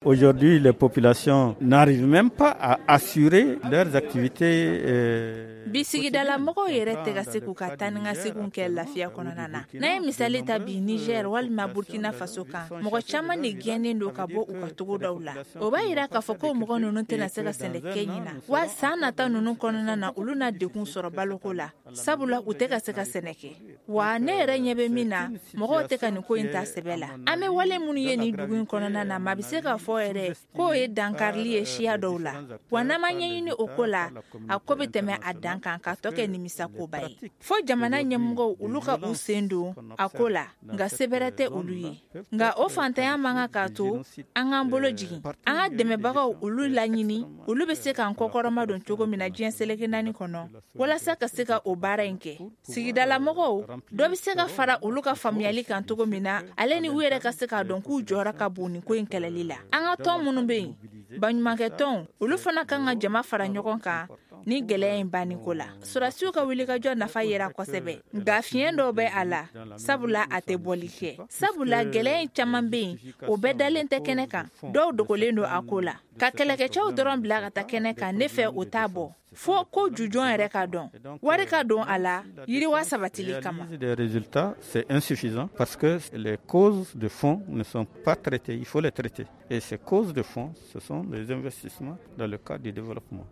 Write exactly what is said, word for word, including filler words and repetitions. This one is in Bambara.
Aujourd'hui, les populations n'arrivent même pas à assurer leurs activités. Euh, Bi sigidala mɔgɔw yɛrɛ tɛ ka se k'u ka taa ni ka seginw kɛ lafiya kɔnɔna na. N'an ye misali ta bi Niger walima Burkina Faso kan, mɔgɔ caman de gɛnnen don ka bɔ u ka togodaw la. O b'a yira k'a fɔ ko mɔgɔ ninnu tɛna se ka sɛnɛ kɛ ɲina, wa san nata ninnu kɔnɔna na, olu na degun sɔrɔ baloko la, sabula u tɛ ka se ka sɛnɛ kɛ. Wa ne yɛrɛ ɲɛ bɛ min na, mɔgɔw tɛ ka nin ko in ta sɛbɛ la. An bɛ wale minnu ye nin dugu in kɔnɔna na, maa bɛ se k'a fɔ yɛrɛ k'o ye dankarili ye siya dɔw la. Wa n'an ma ɲɛɲini o ko la, a ko bɛ tɛmɛ a dan kan ka tɔ kɛ nimisakoba ye. Fo jamana ɲɛmɔgɔw, olu ka u sen don a ko la, nka sebɛrɛ tɛ olu ye. Nka o fantanya man kan k'a to an k'an bolo jigin. An ka dɛmɛbagaw, olu laɲini, olu bɛ se k'an kɔkɔrɔma don cogo min na diɲɛ seleke naani kɔnɔ, walasa ka se ka o baara in kɛ. Sigidala mɔgɔw dɔ bɛ se ka fara olu ka faamuyali kan cogo min na, ale ni u yɛrɛ ka se k'a dɔn k'u jɔyɔrɔ ka bon nin ko in kɛlɛli la. An ka tɔn minnu bɛ yen, baɲumankɛ tɔnw, olu fana kan ka jama fara ɲɔgɔn kan ni gɛlɛya in banni ko la. Sɔrɔdasiw ka wulikajɔ nafa yera kosɛbɛ, nka fiɲɛ dɔw bɛ a la, sabula a tɛ bɔli kɛ, sabula gɛlɛya in caman bɛ yen, o bɛɛ dalen tɛ kɛnɛ kan. Dɔw dogolen don a ko la. Ka kɛlɛkɛcɛw dɔrɔn bila ka taa kɛnɛ kan, ne fɛ o t'a bɔ, fo ko jujɔn yɛrɛ ka dɔn, wari ka don a la yiriwa sabatili kama. Des résultats, c'est insuffisant parce que les causes de fond ne sont pas traitées. Il faut les traiter. Et ces causes de fond, ce sont les investissements dans le cadre du développement.